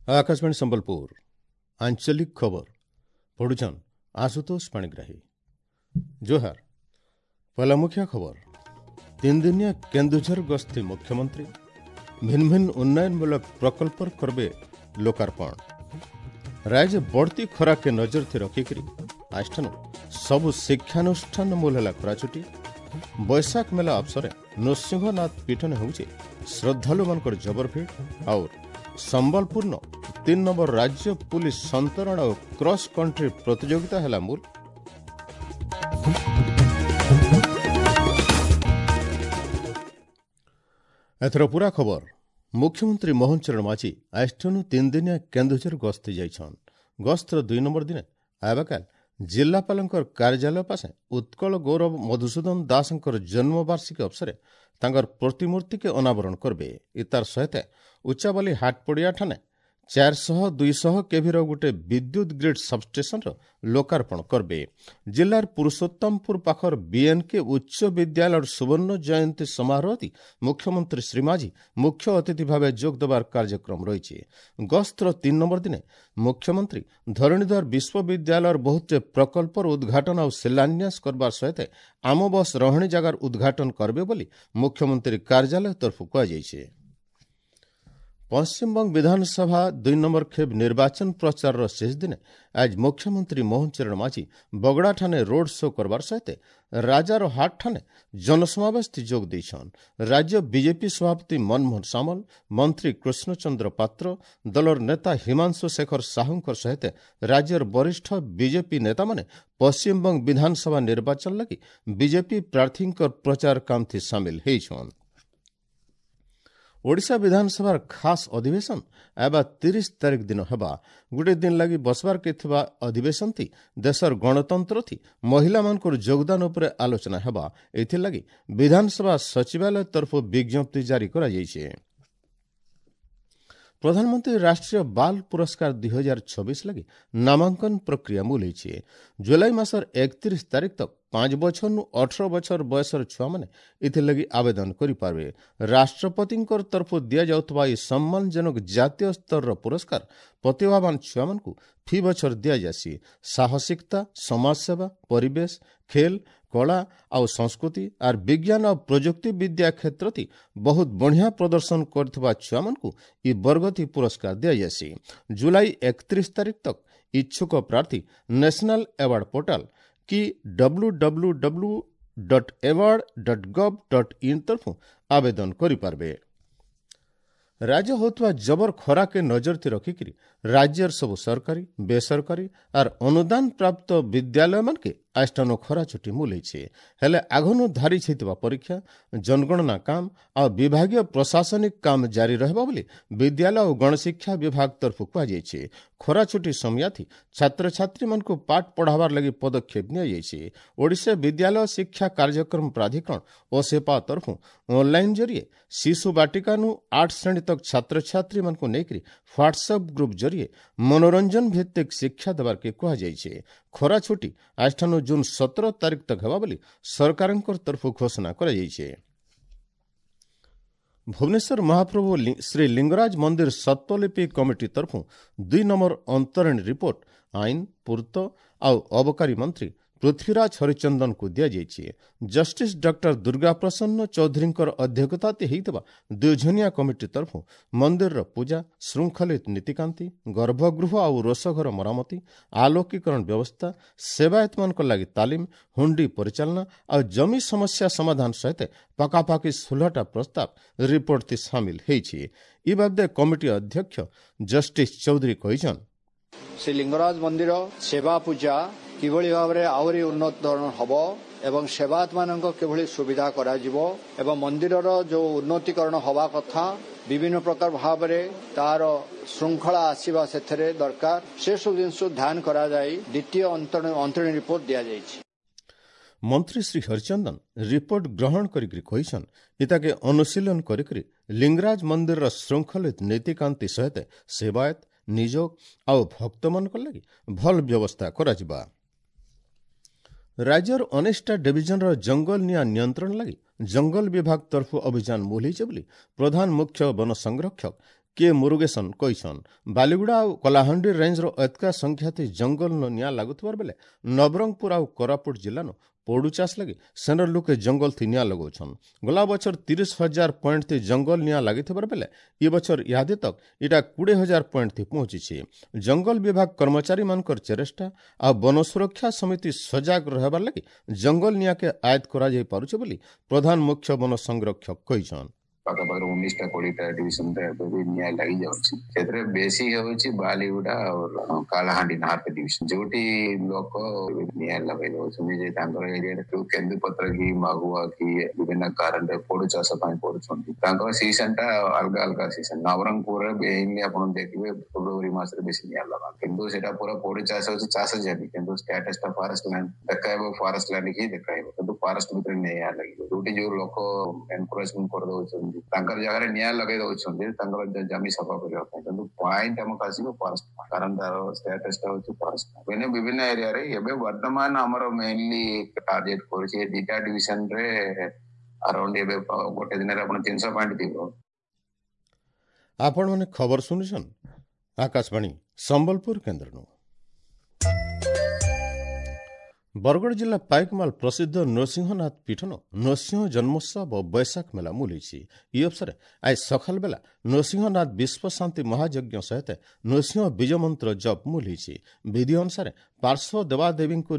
Akashvani Sambalpur आंचलिक खबर पढ़ुछन आशुतोष पाणिग्राही। जोहार। पहला मुख्य खबर। 3 दिनिया केन्दुझर गस्ती मुख्यमंत्री भिन्न भिन्न उन्नयनमूलक प्रकल्प करबे लोकार्पण। राज्य बढ़ती खरा के नजर थे रखिकरी आजठानु सबु शिक्षानुष्ठान मूल ହେଲା ଖରାଛୁଟି। ବୈଶାଖ ମେଳା ଅବସରେ ନୃସିଂହନାଥ ପୀଠନେ ହେଉଛି ଶ୍ରଦ୍ଧାଳୁମାନଙ୍କର ଜବର ଭିଡ଼। ଆଉ ସମ୍ବଲପୁରନ 3 ନମ୍ବର ରାଜ୍ୟ ପୁଲିସ ସନ୍ତରଣ ଓ କ୍ରସ୍ କଣ୍ଟ୍ରି ପ୍ରତିଯୋଗିତା ହେଲା ମୂଲ। ଏଥର ପୁରା ଖବର। ମୁଖ୍ୟମନ୍ତ୍ରୀ ମୋହନ ଚରଣ ମାଝୀ ଆଜଠାନୁ 3 ଦିନିଆ କେନ୍ଦୁଝର ଗସ୍ତି ଯାଇଛନ୍। ଗସ୍ତର 2 ନମ୍ବର ଦିନେ ଆବାକାଲ ଜିଲ୍ଲାପାଳଙ୍କର କାର୍ଯ୍ୟାଳୟ ପାଶେ ଉତ୍କଳ ଗୌରବ ମଧୁସୂଦନ ଦାସଙ୍କର ଜନ୍ମବାର୍ଷିକୀ ଅବସରେ ତାଙ୍କର ପ୍ରତିମୂର୍ତ୍ତିକେ ଅନାବରଣ କରିବେ। ଇତାର ସହିତ ଉଚ୍ଚାବାଲି ହାଟପଡ଼ିଆ ଠାନେ 400-200 କେଭିର ଗୋଟେ ବିଦ୍ୟୁତ ଗ୍ରିଡ୍ ସବଷ୍ଟେସନର ଲୋକାର୍ପଣ କରିବେ। ଜିଲ୍ଲାର ପୁରୁଷୋତ୍ତମପୁର ପାଖର ବିଏନ୍କେ ଉଚ୍ଚ ବିଦ୍ୟାଳୟର ସୁବର୍ଣ୍ଣ ଜୟନ୍ତୀ ସମାରୋହରେ ମୁଖ୍ୟମନ୍ତ୍ରୀ ଶ୍ରୀ ମାଝୀ ମୁଖ୍ୟ ଅତିଥି ଭାବେ ଯୋଗ ଦେବାର କାର୍ଯ୍ୟକ୍ରମ ରହିଛି। ଗସ୍ତର 3 ନମ୍ବର ଦିନେ ମୁଖ୍ୟମନ୍ତ୍ରୀ ଧରଣୀଧର ବିଶ୍ୱବିଦ୍ୟାଳୟର ବହୁତ ପ୍ରକଳ୍ପର ଉଦ୍ଘାଟନ ଆଉ ଶିଳାନ୍ୟାସ କରବାର ସହିତ ଆମ ବସ୍ ରହଣି ଜାଗାର ଉଦ୍ଘାଟନ କରିବେ ବୋଲି ମୁଖ୍ୟମନ୍ତ୍ରୀ କାର୍ଯ୍ୟାଳୟ ତରଫରୁ କୁହାଯାଇଛି। ପଶ୍ଚିମବଙ୍ଗ ବିଧାନସଭା 2 ନମ୍ବର ଖେପ୍ ନିର୍ବାଚନ ପ୍ରଚାରର ଶେଷ ଦିନେ ଆଜ ମୁଖ୍ୟମନ୍ତ୍ରୀ ମୋହନ ଚରଣ ମାଝୀ ବଗଡ଼ାଠାନେ ରୋଡ୍ ଶୋ କରବାର ସହିତ ରାଜାର ହାଟଠାନେ ଜନସମାବେଶ ଯୋଗ ଦେଇଛନ୍। ରାଜ୍ୟ ବିଜେପି ସଭାପତି ମନମୋହନ ସାମଲ, ମନ୍ତ୍ରୀ କୃଷ୍ଣଚନ୍ଦ୍ର ପାତ୍ର, ଦଳର ନେତା ହିମାଂଶୁ ଶେଖର ସାହୁଙ୍କ ସହିତ ରାଜ୍ୟର ବରିଷ୍ଠ ବିଜେପି ନେତାମାନେ ପଶ୍ଚିମବଙ୍ଗ ବିଧାନସଭା ନିର୍ବାଚନ ଲାଗି ବିଜେପି ପ୍ରାର୍ଥୀଙ୍କ ପ୍ରଚାର କାମଥି ସାମିଲ ହେଇଛନ୍। ଓଡ଼ିଶା ବିଧାନସଭାର ଖାସ୍ ଅଧିବେଶନ ଆବା 30 ତାରିଖ ଦିନ ହେବା। ଗୋଟେ ଦିନ ଲାଗି ବସବାର କେ ଥିବା ଅଧିବେଶନ ଥି ଦେଶର ଗଣତନ୍ତ୍ର ଥି ମହିଳାମାନଙ୍କର ଯୋଗଦାନ ଉପରେ ଆଲୋଚନା ହେବା। ଏଥିଲାଗି ବିଧାନସଭା ସଚିବାଳୟ ତରଫରୁ ବିଜ୍ଞପ୍ତି ଜାରି କରାଯାଇଛି। ପ୍ରଧାନମନ୍ତ୍ରୀ ରାଷ୍ଟ୍ରୀୟ ବାଲ ପୁରସ୍କାର 2026 ଲାଗି ନାମାଙ୍କନ ପ୍ରକ୍ରିୟା ମୂଲେଇଛି। ଜୁଲାଇ ମାସର 31 ତାରିଖ ତକ 5 ବଛରନୁ 18 ବଛର ବୟସର ଛୁଆମାନେ ଏଥିଲାଗି ଆବେଦନ କରିପାରିବେ। ରାଷ୍ଟ୍ରପତିଙ୍କର ତରଫରୁ ଦିଆଯାଉଥିବା ଏହି ସମ୍ମାନଜନକ ଜାତୀୟ ସ୍ତରର ପୁରସ୍କାର ପ୍ରତିଭାବାନ ଛୁଆମାନଙ୍କୁ ଫି ବଛର ଦିଆଯାସି। ସାହସିକତା, ସମାଜସେବା, ପରିବେଶ, ଖେଲ, କଳା ଆଉ ସଂସ୍କୃତି ଆର୍ ବିଜ୍ଞାନ ଆଉ ପ୍ରଯୁକ୍ତି ବିଦ୍ୟା କ୍ଷେତ୍ରତି ବହୁତ ବଢ଼ିଆ ପ୍ରଦର୍ଶନ କରିଥିବା ଛୁଆମାନଙ୍କୁ ଇ ବର୍ଗତି ପୁରସ୍କାର ଦିଆଯାସି। ଜୁଲାଇ 31 ତାରିଖ ତକ ଇଚ୍ଛୁକ ପ୍ରାର୍ଥୀ ନ୍ୟାସନାଲ ଆୱାର୍ଡ ପୋର୍ଟାଲ କି www.award.gov.in ତରଫରୁ ଆବେଦନ କରିପାରିବେ। ରାଜ୍ୟ ହେଉଥିବା ଜବର ଖରାକେ ନଜର ରଖିକିରି ରାଜ୍ୟର ସବୁ ସରକାରୀ, ବେସରକାରୀ ଆର୍ ଅନୁଦାନ ପ୍ରାପ୍ତ ବିଦ୍ୟାଳୟମାନକେ ଆଜଠାନୁ ଖରା ଛୁଟି ମୂଲେଇছে। ହେଲେ ଆଗନୁ ଧାରି ହେଇଥିବା ପରୀକ୍ଷା, ଜନଗଣନା କାମ ଆଉ ବିଭାଗୀୟ ପ୍ରଶାସନିକ କାମ ଜାରି ରହିବ ବୋଲି ବିଦ୍ୟାଳୟ ଓ ଗଣଶିକ୍ଷା ବିଭାଗ ତରଫରୁ କୁହାଯାଇଛି। ଖରା ଛୁଟି ସମୟାଥି ଛାତ୍ରଛାତ୍ରୀମାନଙ୍କୁ ପାଠ ପଢ଼ାବାର ଲାଗି ପଦକ୍ଷେପ ନିଆଯାଇଛି। ଓଡ଼ିଶା ବିଦ୍ୟାଳୟ ଶିକ୍ଷା କାର୍ଯ୍ୟକ୍ରମ ପ୍ରାଧିକରଣ ଓ ସେପା ତରଫରୁ ଅନଲାଇନ୍ ଜରିଏ ଶିଶୁ ବାଟିକାନୁ 8 ଶ୍ରେଣୀ ତକ ଛାତ୍ରଛାତ୍ରୀମାନଙ୍କୁ ନେଇକରି ହ୍ୱାଟ୍ସଆପ୍ ଗ୍ରୁପ୍ ଜରିଏ ମନୋରଞ୍ଜନ ଭିତ୍ତିକ ଶିକ୍ଷା ଦେବାର୍କେ କୁହାଯାଇଛି। ଖରା ଛୁଟି ଆଜଠାନୁ ଜୁନ୍ 17 ତାରିଖ ତକ ହେବା ବୋଲି ସରକାରଙ୍କ ତରଫରୁ ଘୋଷଣା କରାଯାଇଛି। ଭୁବନେଶ୍ୱର ମହାପ୍ରଭୁ ଶ୍ରୀ ଲିଙ୍ଗରାଜ ମନ୍ଦିର ସତ୍ୱଲିପି କମିଟି ତରଫରୁ 2 ନମ୍ବର ଅନ୍ତରୀଣ ରିପୋର୍ଟ ଆଇନ, ପୂର୍ତ୍ତ ଆଉ ଅବକାରୀ ମନ୍ତ୍ରୀ ପୃଥ୍ୱୀରାଜ ହରିଚନ୍ଦନଙ୍କୁ ଦିଆଯାଇଛି। ଜଷ୍ଟିସ୍ ଡକ୍ଟର ଦୁର୍ଗା ପ୍ରସନ୍ନ ଚୌଧୁରୀଙ୍କର ଅଧ୍ୟକ୍ଷତାରେ ହେଇଥିବା 2 ଜଣିଆ କମିଟି ତରଫରୁ ମନ୍ଦିରର ପୂଜା, ଶୃଙ୍ଖଳିତ ନୀତିକାନ୍ତି, ଗର୍ଭଗୃହ ଆଉ ରୋଷଘର ମରାମତି, ଆଲୋକୀକରଣ ବ୍ୟବସ୍ଥା, ସେବାୟତମାନଙ୍କ ଲାଗି ତାଲିମ, ହୁଣ୍ଡି ପରିଚାଳନା ଆଉ ଜମି ସମସ୍ୟା ସମାଧାନ ସହିତ ପାଖାପାଖି 16ଟା ପ୍ରସ୍ତାବ ରିପୋର୍ଟଟି ସାମିଲ ହେଇଛି। ଇ ବାବଦେ କମିଟି ଅଧ୍ୟକ୍ଷ ଜଷ୍ଟିସ୍ ଚୌଧୁରୀ କହିଛନ୍, ଶ୍ରୀ ଲିଙ୍ଗରାଜ ମନ୍ଦିର ସେବା ପୂଜା କିଭଳି ଭାବରେ ଆହୁରି ଉନ୍ନତ ଧରଣ ହେବ ଏବଂ ସେବାୟତମାନଙ୍କ କିଭଳି ସୁବିଧା କରାଯିବ ଏବଂ ମନ୍ଦିରର ଯେଉଁ ଉନ୍ନତିକରଣ ହେବା କଥା ବିଭିନ୍ନ ପ୍ରକାର ଭାବରେ ତାର ଶୃଙ୍ଖଳା ଆସିବା ସେଥିରେ ଦରକାର, ସେସବୁ ଜିନିଷ ଧ୍ୟାନ କରାଯାଇ ଦ୍ୱିତୀୟ ଅନ୍ତରୀଣ ରିପୋର୍ଟ ଦିଆଯାଇଛି। ମନ୍ତ୍ରୀ ଶ୍ରୀ ହରିଚନ୍ଦନ ରିପୋର୍ଟ ଗ୍ରହଣ କରିକି କହିଛନ୍, ଇତାକେ ଅନୁଶୀଳନ କରିକରି ଲିଙ୍ଗରାଜ ମନ୍ଦିରର ଶୃଙ୍ଖଳିତ ନୀତିକାନ୍ତି ସହିତ ସେବାୟତ, ନିଯୋଗ ଆଉ ଭକ୍ତମାନଙ୍କ ଲାଗି ଭଲ ବ୍ୟବସ୍ଥା କରାଯିବା। ରାଜ୍ୟର 19ଟା ଡିଭିଜନର ଜଙ୍ଗଲ ନିଆଁ ନିୟନ୍ତ୍ରଣ ଲାଗି ଜଙ୍ଗଲ ବିଭାଗ ତରଫୁ ଅଭିଯାନ ମୁଲ ହେଇଛେ ବୋଲି ପ୍ରଧାନ ମୁଖ୍ୟ ବନ ସଂରକ୍ଷକ କେ ମୁରୁଗେସନ କହିଛନ୍। ବାଲିଗୁଡ଼ା ଆଉ କଳାହାଣ୍ଡି ରେଞ୍ଜର ଏତକା ସଂଖ୍ୟାତି ଜଙ୍ଗଲନ ନିଆଁ ଲାଗୁଥିବାର ବେଲେ ନବରଙ୍ଗପୁର ଆଉ କୋରାପୁଟ ଜିଲ୍ଲାନୁ ପୋଡ଼ୁ ଚାଷ ଲାଗି ସେନର ଲୋକେ ଜଙ୍ଗଲ ଥି ନିଆଁ ଲଗାଉଛନ୍। ଗଲା ବଛର 30,000 ପଏଣ୍ଟ ଥି ଜଙ୍ଗଲ ନିଆଁ ଲାଗିଥିବାର ବେଲେ ଇ ବଛର ଇହାଦେ ତକ୍ ଇଟା 20,000 ପଏଣ୍ଟ ଥି ପହଞ୍ଚିଛି। ଜଙ୍ଗଲ ବିଭାଗ କର୍ମଚାରୀମାନଙ୍କର ଚେଷ୍ଟା ଆଉ ବନ ସୁରକ୍ଷା ସମିତି ସଜାଗ ରହିବାର ଲାଗି ଜଙ୍ଗଲ ନିଆଁକେ ଆୟତ୍ତ କରାଯାଇ ପାରୁଛେ ବୋଲି ପ୍ରଧାନ ମୁଖ୍ୟ ବନ ସଂରକ୍ଷକ କହିଛନ୍। ପାଖାପାଖି 19ଟା 20ଟା ଡିଭିଜନରେ ଏବେ ବି ନିଆଁ ଲାଗିଯାଉଛି। ସେଥିରେ ବେଶୀ ହେଉଛି ବାଲିଗୁଡା ଆଉ କାଳାହାଣ୍ଡି ନାର୍ଥ ଡିଭିଜନ, ଯୋଉଠି ଲୋକ ନିଆଁ ଲଗେଇ ଦଉଛନ୍ତି ଯେ ତାଙ୍କର ଏରିଆରେ ଯୋଉ କେନ୍ଦୁପତ୍ର କି ମହୁଆ କି ବିଭିନ୍ନ କାରଣରେ ପୋଡୁ ଚାଷ ପାଇଁ କରୁଛନ୍ତି। ତାଙ୍କର ସିଜନ ଟା ଅଲଗା ଅଲଗା ସିଜନ। ନବରଙ୍ଗପୁରରେ ମେନଲି ଆପଣ ଦେଖିବେ ଫେବୃଆରୀ ମାସରେ ବେଶୀ ନିଆଁ ଲଗାନ୍ତି, କିନ୍ତୁ ସେଟା ପୁରା ପୋଡୁ ଚାଷ ହଉଛି, ଚାଷ ଜମି, କିନ୍ତୁ ଷ୍ଟାଟସ ଟା ଫରେଷ୍ଟ ଲ୍ୟାଣ୍ଡ ଦେଖାଇବ, ଫରେଷ୍ଟ ଲ୍ୟାଣ୍ଡ ହିଁ ଦେଖାଇବ, କିନ୍ତୁ ଫରେଷ୍ଟ ଭିତରେ ନିଆଁ ଲାଗିବ। ଯୋଉଠି ଯୋଉ ଲୋକ ଏନକ୍ରୋଚମେଣ୍ଟ କରିଦଉଛନ୍ତି, ତାଙ୍କର ଜାଗାରେ ନିଆଁ ଲଗେଇ ଦଉଛନ୍ତି ତାଙ୍କର ଜମି ସଫା କରିବା ପାଇଁ, କିନ୍ତୁ ପଏଣ୍ଟ ଆମକୁ ଆସିବ ଫରେଷ୍ଟ, କାରଣ ତାର ଷ୍ଟାଟସ ଟା ହଉଛି ଫରେଷ୍ଟ। ବିଭିନ୍ନ ଏରିଆରେ ଏବେ ବର୍ତ୍ତମାନ ଆମର ମେନଲି ଟାର୍ଗେଟ କରୁଛି ଏ 2ଟା ଡିଭିଜନରେ ଆରାଉଣ୍ଡ ଏବେ ଗୋଟେ ଦିନରେ ଆପଣ 300 ପଏଣ୍ଟ ଥିବ। ଆପଣମାନେ ଖବର ଶୁଣୁଛନ୍ ଆକାଶବାଣୀ ସମ୍ବଲପୁର କେନ୍ଦ୍ରନୁ। ବରଗଡ଼ ଜିଲ୍ଲା ପାଇକମାଲ ପ୍ରସିଦ୍ଧ ନୃସିଂହନାଥ ପୀଠନ ନୃସିଂହ ଜନ୍ମୋତ୍ସବ ବୈଶାଖ ମେଳା ମୁଲିଛି। ଇ ଅବସରେ ଆଜି ସକାଳ ବେଲା ନୃସିଂହନାଥ ବିଶ୍ୱଶାନ୍ତି ମହାଯଜ୍ଞ ସହିତ ନୃସିଂହ ବୀଜମନ୍ତ୍ର ଜପ ମୁଲିଛି। ବିଧି ଅନୁସାରେ ପାର୍ଶ୍ୱ ଦେବାଦେବୀଙ୍କୁ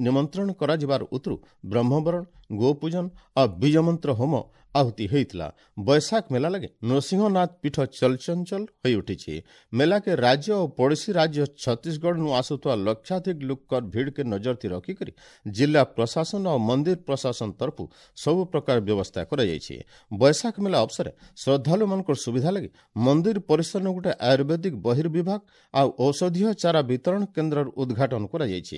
ନିମନ୍ତ୍ରଣ କରାଯିବାର ଉତରୁ ବ୍ରହ୍ମବରଣ, ଗୋପୂଜନ ଆଉ ବୀଜମନ୍ତ୍ର ହୋମ ଆହୁତି ହୋଇଥିଲା। ବୈଶାଖ ମେଳା ଲାଗି ନୃସିଂହନାଥ ପୀଠ ଚଳଚଞ୍ଚଳ ହୋଇଉଠିଛି। ମେଳାକେ ରାଜ୍ୟ ଓ ପଡ଼ୋଶୀ ରାଜ୍ୟ ଛତିଶଗଡ଼ନୁ ଆସୁଥିବା ଲକ୍ଷାଧିକ ଲୋକର ଭିଡ଼କେ ନଜରଥି ରଖିକରି ଜିଲ୍ଲା ପ୍ରଶାସନ ଓ ମନ୍ଦିର ପ୍ରଶାସନ ତରଫୁ ସବୁ ପ୍ରକାର ବ୍ୟବସ୍ଥା କରାଯାଇଛି। ବୈଶାଖ ମେଳା ଅବସରେ ଶ୍ରଦ୍ଧାଳୁମାନଙ୍କର ସୁବିଧା ଲାଗି ମନ୍ଦିର ପରିସରରେ ଗୋଟେ ଆୟୁର୍ବେଦିକ ବହିର୍ବିଭାଗ ଆଉ ଔଷଧୀୟ ଚାରା ବିତରଣ କେନ୍ଦ୍ରର ଉଦ୍ଘାଟନ କରାଯାଇଛି।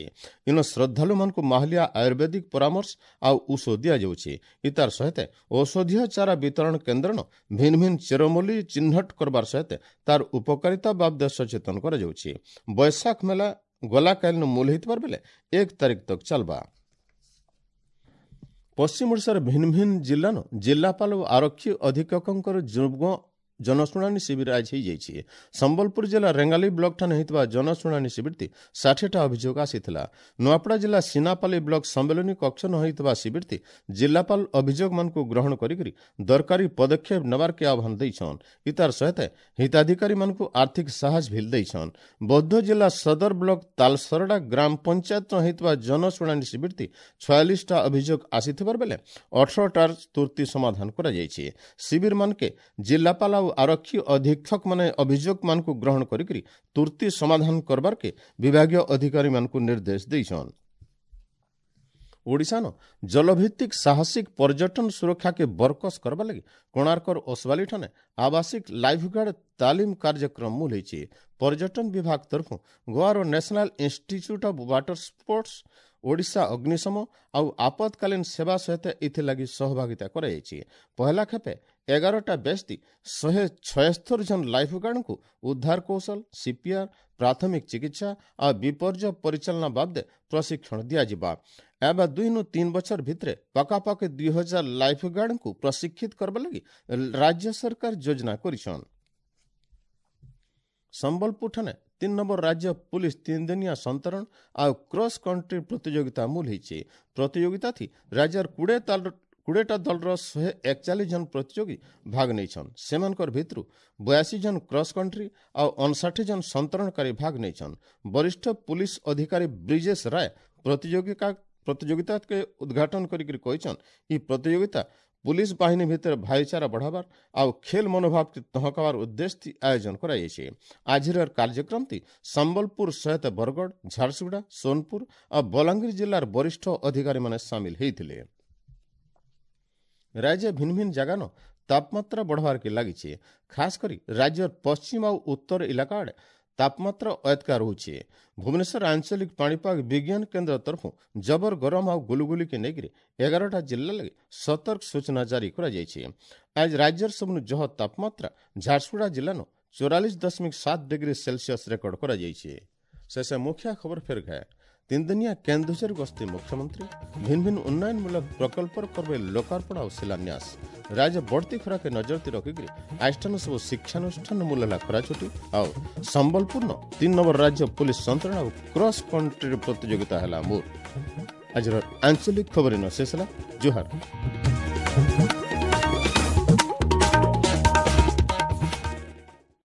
ଇନ ଶ୍ରଦ୍ଧାଳୁମାନଙ୍କୁ ମାହଲିଆ ଆୟୁର୍ବେଦିକ ପରାମର୍ଶ ଆଉ ଔଷଧ ଦିଆଯାଉଛି। ଇତାର ସହିତ ଔଷଧୀୟ ଚାରା ବିତରଣ କେନ୍ଦ୍ରନ ଭିନ୍ନ ଭିନ୍ନ ଚେରମୂଲି ଚିହ୍ନଟ କରବାର ସହିତ ତାର ଉପକାରିତା ବାବଦେ ସଚେତନ କରାଯାଉଛି। ବୈଶାଖ ମେଳା ଗଲାକାଲିନୁ ମୂଲ ହେଇଥିବାର ବେଲେ 1 ତାରିଖ ତକ ଚାଲବା। ପଶ୍ଚିମ ଓଡ଼ିଶାର ଭିନ୍ନ ଭିନ୍ନ ଜିଲ୍ଲାନୁ ଜିଲ୍ଲାପାଳ ଓ ଆରକ୍ଷୀ ଅଧୀକ୍ଷକଙ୍କର ଯୁଗ୍ମ ଜନଶୁଣାଣି ଶିବିର ଆଜି ହେଇଯାଇଛି। ସମ୍ବଲପୁର ଜିଲ୍ଲା ରେଙ୍ଗାଲି ବ୍ଲକଠାନେ ହେଇଥିବା ଜନଶୁଣାଣି ଶିବିରଟି 60ଟା ଅଭିଯୋଗ ଆସିଥିଲା। ନୂଆପଡ଼ା ଜିଲ୍ଲା ସିନାପାଲି ବ୍ଲକ ସମ୍ମିଳନୀ କକ୍ଷ ନ ହେଇଥିବା ଶିବିରଟି ଜିଲ୍ଲାପାଳ ଅଭିଯୋଗମାନଙ୍କୁ ଗ୍ରହଣ କରିକରି ଦରକାରୀ ପଦକ୍ଷେପ ନେବାର୍କେ ଆହ୍ୱାନ ଦେଇଛନ୍। ଇତାର ସହିତ ହିତାଧିକାରୀମାନଙ୍କୁ ଆର୍ଥିକ ସାହାଯ୍ୟ ଭିଲ ଦେଇଛନ୍। ବୌଦ୍ଧ ଜିଲ୍ଲା ସଦର ବ୍ଲକ ତାଲସରଡ଼ା ଗ୍ରାମ ପଞ୍ଚାୟତ ହେଇଥିବା ଜନଶୁଣାଣି ଶିବିରଟି 46ଟା ଅଭିଯୋଗ ଆସିଥିବାର ବେଲେ 18ଟାର ତୁର୍ତ୍ତି ସମାଧାନ କରାଯାଇଛି। ଶିବିରମାନକେ ଜିଲ୍ଲାପାଳ ଆଉ ଆରକ୍ଷୀ ଅଧୀକ୍ଷକମାନେ ଅଭିଯୋଗମାନଙ୍କୁ ଗ୍ରହଣ କରିକରି ତୁର୍ତ୍ତି ସମାଧାନ କରବାର୍କେ ବିଭାଗୀୟ ଅଧିକାରୀମାନଙ୍କୁ ନିର୍ଦ୍ଦେଶ ଦେଇଛନ୍। ଓଡ଼ିଶାନ ଜଲଭିତ୍ତିକ ସାହସିକ ପର୍ଯ୍ୟଟନ ସୁରକ୍ଷାକେ ବରକସ କରବା ଲାଗି କୋଣାର୍କର ଓସବାଲିଠାନେ ଆବାସିକ ଲାଇଫଗାର୍ଡ ତାଲିମ କାର୍ଯ୍ୟକ୍ରମ ମୂଲ ହେଇଛି। ପର୍ଯ୍ୟଟନ ବିଭାଗ ତରଫୁ ଗୋଆର National Institute of Water Sports, Odisha ଅଗ୍ନିଶମ ଆଉ ଆପତକାଳୀନ ସେବା ସହିତ ଏଥିଲାଗି ସହଭାଗିତା କରାଯାଇଛି। ପହଲା ଖେପେ 11ଟା ବ୍ୟାଚ୍ 176 ଜଣ ଲାଇଫଗାର୍ଡଙ୍କୁ ଉଦ୍ଧାର କୌଶଳ, ସିପିଆର୍, ପ୍ରାଥମିକ ଚିକିତ୍ସା ଆଉ ବିପର୍ଯ୍ୟୟ ପରିଚାଳନା ବାବଦେ ପ୍ରଶିକ୍ଷଣ ଦିଆଯିବା। ଏବେ 2ରୁ 3 ବଛର ଭିତରେ ପାଖାପାଖି 2000 ଲାଇଫଗାର୍ଡଙ୍କୁ ପ୍ରଶିକ୍ଷିତ କରିବା ଲାଗି ରାଜ୍ୟ ସରକାର ଯୋଜନା କରିଛନ୍। ସମ୍ବଲପୁରଠାନେ 3 ନମ୍ବର ରାଜ୍ୟ ପୁଲିସ 3 ଦିନିଆ ସନ୍ତରଣ ଆଉ କ୍ରସ୍ କଣ୍ଟ୍ରି ପ୍ରତିଯୋଗିତା ମୂଲ ହେଇଛି। ପ୍ରତିଯୋଗିତା ଥି ରାଜ୍ୟର 20ଟା ଦଳର 141 ଜଣ ପ୍ରତିଯୋଗୀ ଭାଗ ନେଇଛନ୍। ସେମାନଙ୍କର ଭିତରୁ 82 ଜଣ କ୍ରସ୍ କଣ୍ଟ୍ରି ଆଉ 59 ଜଣ ସନ୍ତରଣକାରୀ ଭାଗ ନେଇଛନ୍। ବରିଷ୍ଠ ପୁଲିସ ଅଧିକାରୀ ବ୍ରିଜେଶ ରାୟ ପ୍ରତିଯୋଗିତାକେ ଉଦ୍ଘାଟନ କରିକି କହିଛନ୍, ଇ ପ୍ରତିଯୋଗିତା ପୁଲିସ ବାହିନୀ ଭିତରେ ଭାଇଚାରା ବଢ଼ାବାର ଆଉ ଖେଲ ମନୋଭାବକେ ତହକାବାର ଉଦ୍ଦେଶ୍ୟ ଆୟୋଜନ କରାଯାଇଛି। ଆଜିର କାର୍ଯ୍ୟକ୍ରମଟି ସମ୍ବଲପୁର ସହିତ ବରଗଡ଼, ଝାରସୁଗୁଡ଼ା, ସୋନପୁର ଆଉ ବଲାଙ୍ଗୀର ଜିଲ୍ଲାର ବରିଷ୍ଠ ଅଧିକାରୀମାନେ ସାମିଲ ହେଇଥିଲେ। ରାଜ୍ୟ ଭିନ୍ନ ଭିନ୍ନ ଜାଗାନ ତାପମାତ୍ରା ବଢ଼ବାର୍କେ ଲାଗିଛି। ଖାସ କରି ରାଜ୍ୟର ପଶ୍ଚିମ ଆଉ ଉତ୍ତର ଇଲାକା ଆଡ଼େ ତାପମାତ୍ରା ଅୟତ୍କା ରହୁଛି। ଭୁବନେଶ୍ୱର ଆଞ୍ଚଳିକ ପାଣିପାଗ ବିଜ୍ଞାନ କେନ୍ଦ୍ର ତରଫୁ ଜବର ଗରମ ଆଉ ଗୁଲୁଗୁଲିକେ ନେଇକରି 11ଟା ଜିଲ୍ଲା ଲାଗି ସତର୍କ ସୂଚନା ଜାରି କରାଯାଇଛି। ଆଜି ରାଜ୍ୟର ସବୁନୁ ଜହ ତାପମାତ୍ରା ଝାରସୁଗୁଡ଼ା ଜିଲ୍ଲାନୁ 44.7 ଡିଗ୍ରୀ ସେଲସିୟସ ରେକର୍ଡ କରାଯାଇଛି। ଶେଷ ମୁଖ୍ୟ ଖବର ଫେର ଘାଏ। 3 ଦିନିଆ କେନ୍ଦୁଝର ଗସ୍ତି ମୁଖ୍ୟମନ୍ତ୍ରୀ। ଭିନ୍ନ ଭିନ୍ନ ଉନ୍ନୟନମୂଳକ ପ୍ରକଳ୍ପର କରବେ ଲୋକାର୍ପଣ ଆଉ ଶିଳାନ୍ୟାସ। ରାଜ୍ୟ ବଢ଼ତି ଖରାକେ ନଜର ରଖିକରି ଆଇଷ୍ଠାନ ସବୁ ଶିକ୍ଷାନୁଷ୍ଠାନ ମୂଲ ହେଲା ଖରାଛୁଟି। ଆଉ ସମ୍ବଲପୁରନ 3 ନମ୍ବର ରାଜ୍ୟ ପୋଲିସ ସନ୍ତରଣ ଆଉ କ୍ରସ୍ କଣ୍ଟ୍ରି ପ୍ରତିଯୋଗିତା ହେଲା ମୋର। ଆଜିର ଆଞ୍ଚଳିକ ଖବର ଶେଷ ହେଲା। ଜୁହାର।